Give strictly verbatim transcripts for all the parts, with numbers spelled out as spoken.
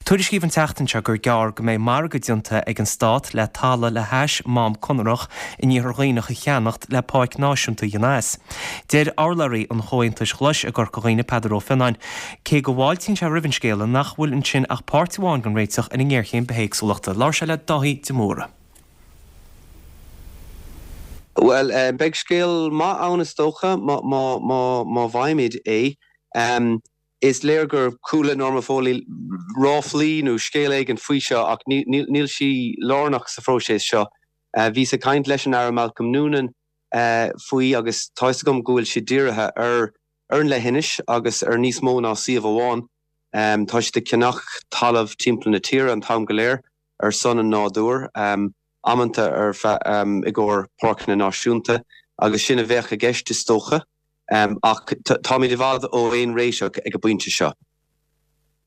Tuairiscíodh an tseachtain seo gur gearr go mbeidh margadh déanta ag an stát le talamh le hais Mám Conrach in Iarthar Dhuibhneach a cheannacht le Páirc Náisiúnta a dhéanamh as. Deir urlabhraí an Chomhaontais Ghlais i gCorca Dhuibhne Peadar Ó Fionnáin, cé go bhfáiltíonn sé roimh an scéala nach bhfuil ansin ach páirt amháin den réiteach ar an ngéarchéim bithéagsúlachta. Labhair sé le Dáithí de Mórdha. Well uh, beidh scéal maith ann is dócha má má bhfaighimid é. Um, is léir gur chuala Norma Foley ráflaí nó scéal éigin faoi seo ach níl sí lárnach sa phróiseas seo. Uh, bhíos ag caint leis an Aire Malcolm Noonan uh, faoi agus tá gom go bhfuil sé dírithe ar ar an leithinis agus ar níos mó ná suíomh amháin. Um, tá siad ag ceannach talamh timpeall na tíre an t-am go léir ar son an nádúr um, amanta ar um, i gcomhair páirceanna náisiúnta agus sin a bheadh i gceist is dócha. Um, ach táimid i bhfad ó aon réiteach ag an bpointe seo.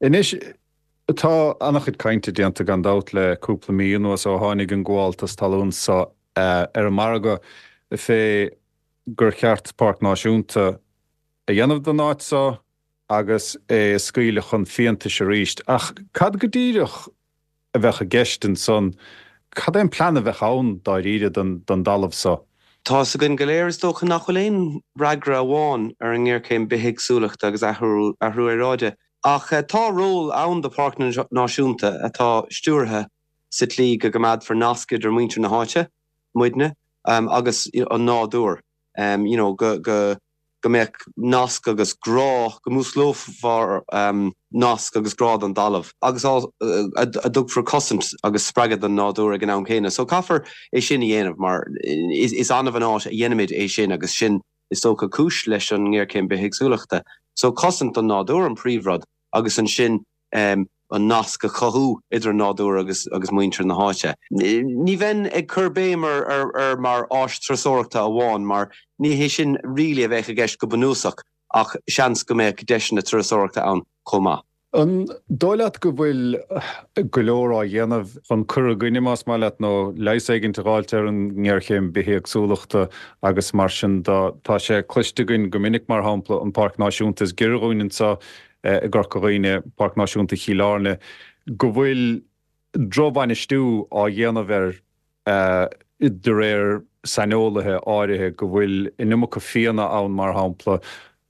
Anois tá an-chuid cainte déanta gan dabht le cúpla mí anuas ó tháinig an gabháltas talún seo uh, ar an margadh fé gur cheart páirc náisiúnta a dhéanamh den áit seo agus é scaoileadh chun fiántais arís. Ach cad go díreach a bheadh i gceist ansan, cad é an plean a bheadh ann dáiríre don don talamh seo. Tá againn go léir is dócha nach bhfuil aon fhreagra amháin ar an ngéarchéim bithéagsúlachta agus athrú aeráide. Ach eh, tá ról ann do pháirc náisiúnta atá stiúrtha sa tslí go gcoimeádfar nasc idir muintir na háite, muidne, um, agus an nádúr. Um, you know, go, go, go mbeadh nasc agus grá go músclófar um, nasc agus grá don talamh agus a, a dtugfar cosaint agus spreagadh don nádúr ag an am céanna. So caithfear é sin a dhéanamh mar is, is annamh an áit a dhéanaimid é sin agus sin is dócha cúis leis an ngéarchéim bithéagsúlachta. So cosaint don nádúr an príomhrud agus ansin um, an nasc a chothú idir an nádúr agus agus muintir na háite. Ní bheinn ag cur béim ar, ar, ar mar áis turasóireachta amháin mar ní hé sin really a bheadh i gceist go bunúsach ach seans go mbeadh deiseanna turasóireachta ann chomh maith. An dóigh leat go bhfuil go leor á dhéanamh chun cur i gcoinne más maith leat nó leigheas éigin a fháilt ar an ngéarchéim bithéagsúlachta agus mar sin tá sé cloiste againn go minic mar shampla an Páirc Náisiúnta is giorra dhúinn anseo i gCorca Dhuibhne Páirc Náisiúnta Chill Airne go bhfuil drochbhainistiú á dhéanamh air de réir saineolaithe áirithe go bhfuil an iomarca fianna ann mar shampla.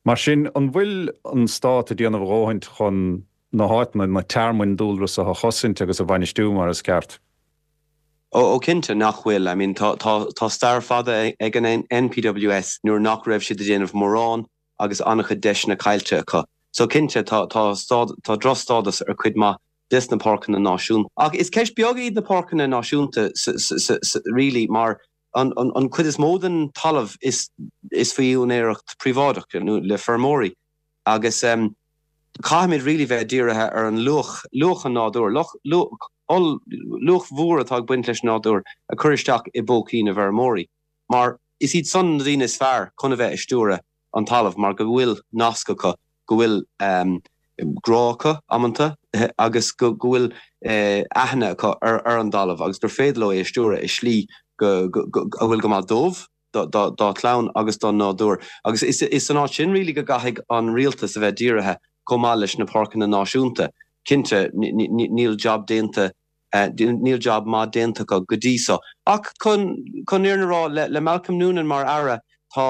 Mar sin an bhfuil an stát ag déanamh a dhóthain chun na háiteanna na tearmainn dúlra seo a chosaint agus a bhainistiú mar is ceart. Ó cinnte nach bhfuil, I mean tá, tá, tá stair fada ag an NPWS nuair nach raibh siad ag déanamh mórán agus an-chuid deiseanna caillte acu. So cinnte tá tá tá drochstádas ar cuid maith des na páirceanna náisiúnta. Ach is ceist beag iad na páirceanna náisiúnta really mar an, an, an cuid is mó den talamh is, is faoi úinéireacht príobháideach nó le feirmeoirí. Agus um, caithfimid really bheith dírithe ar an luach luach an nádúr luach mhór atá ag baint leis nádúr a chur isteach i bpócaí na bhfeirmeoirí. Mar is iad san na daoine is fearr chun a bheith ag stiúradh an talamh mar go bhfuil nasc acu go bhfuil um, grá acu amanta agus go go bhfuil uh, aithne acu ar, ar an talamh agus gur féidir leo é stiúradh i slí go, go, go, a bhfuil go maith dóibh dá gclann agus don nádúr. Agus is, is an áit sin really go gcaithfidh an rialtas a bheith dírithe chomh maith leis na páirceanna náisiúnta. Cinnte níl job déanta uh, níl job maith déanta go dtí seo. Ach chun chun an fhírinne a rá le, le Malcolm Noonan mar aire tá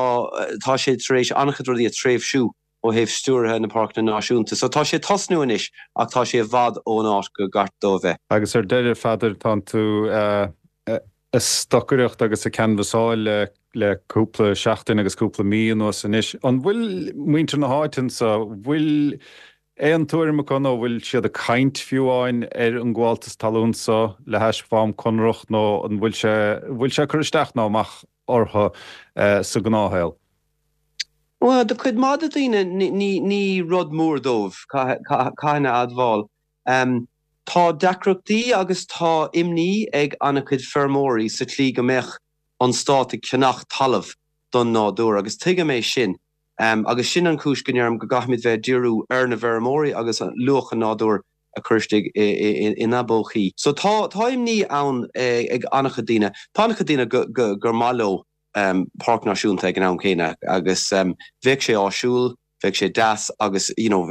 tá sé tar éis an-chuid rudaí a threisiú ó thaobh stiúrtha na páirceanna náisiúnta. So tá sé tosnú anois ach tá sé i bhfad ón áit gur cheart dó bheith. Agus ar deireadh Pheadair tá tú uh, ag stocaireacht agus ag canbhasáil le le cúpla seachtain agus cúpla mí anuas anois. An bhfuil muintir na háite anseo bhfuil aon tuairim acu nó bhfuil siad ag caint fiú amháin ar an ngabháltas talún seo le hais Mhám Conrach nó an bhfuil sé bhfuil sé cur isteach nó amach orthu uh, sa ghnáthshaol. Well, do chuid maith de daoine ní, ní rud mór dóibh caithfidh mé a admháil. Um, tá deacrachtaí agus tá imní ag an-chuid feirmeoirí sa tslí go mbeadh an stát ag ceannach talamh don nádúr agus tuigim é sin. Um, agus sin an chúis go ndeirim go gcaithfimid bheith díriú ar na feirmeoirí agus luach an nádúr a chur isteach ina bpócaí. So tá tá imní ann ag an-chuid daoine Tá an-chuid daoine gur maith leo um, páirc náisiúnta ag an am céanna agus um, bheadh sé áisiúil, bheadh sé deas agus you know,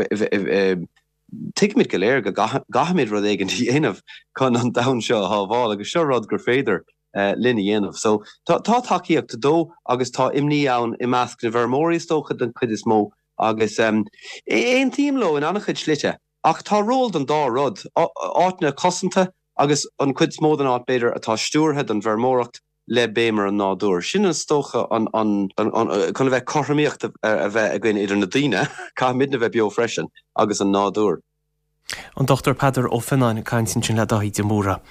Tuigimid go léir go gcaithfimid rud éigin a dhéanamh chun an domhan seo a shábháil agus seo rud gur féidir eh, linn a dhéanamh. So tá tá tacaíocht dó agus tá imní ann i measc na bhfeirmeoirí is dócha den chuid is mó agus um, aontaím leo in an-chuid slite. Ach tá ról don dá rud áiteanna cosanta agus an chuid is mó den áit b'fhéidir atá stiúrtha don bhfeirmeoireacht le béim ar an nádúr. Sin is dócha an chun a bheith cothromaíocht a bheith againn idir na daoine caithfimidne bheith beo freisin agus an nádúr. An Dr Peadar Ó Fionnáin ag caint ansin le Dáithí de Mórdha.